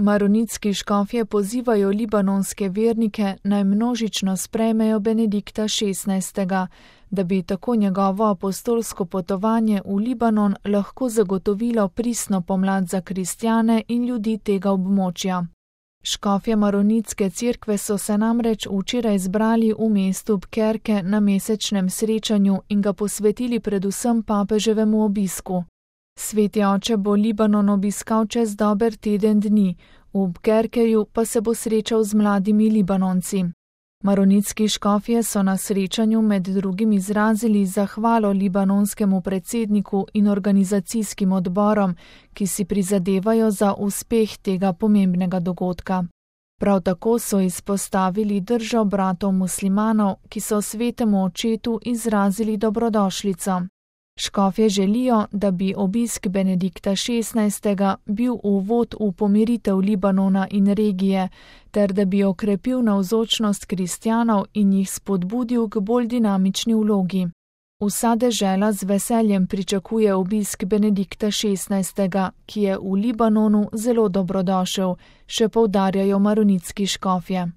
Maronitski škofje pozivajo libanonske vernike, naj množično sprejmejo Benedikta XVI., da bi tako njegovo apostolsko potovanje v Libanon lahko zagotovilo pristno pomlad za kristjane in ljudi tega območja. Škofje Maronitske cerkve so se namreč včeraj zbrali v mestu Bkerke na mesečnem srečanju in ga posvetili predvsem papeževemu obisku. Sveti oče bo Libanon obiskal čez dober teden dni, v Bkerkeju pa se bo srečal z mladimi Libanonci. Maronitski škofje so na srečanju med drugim izrazili zahvalo libanonskemu predsedniku in organizacijskim odborom, ki si prizadevajo za uspeh tega pomembnega dogodka. Prav tako so izpostavili držo bratov muslimanov, ki so svetemu očetu izrazili dobrodošlico. Škofje želijo, da bi obisk Benedikta XVI. Bil uvod v pomiritev Libanona in regije, ter da bi okrepil navzočnost kristjanov in jih spodbudil k bolj dinamični vlogi. Vsa dežela z veseljem pričakuje obisk Benedikta XVI., ki je v Libanonu zelo dobrodošel, še poudarjajo maronitski škofje.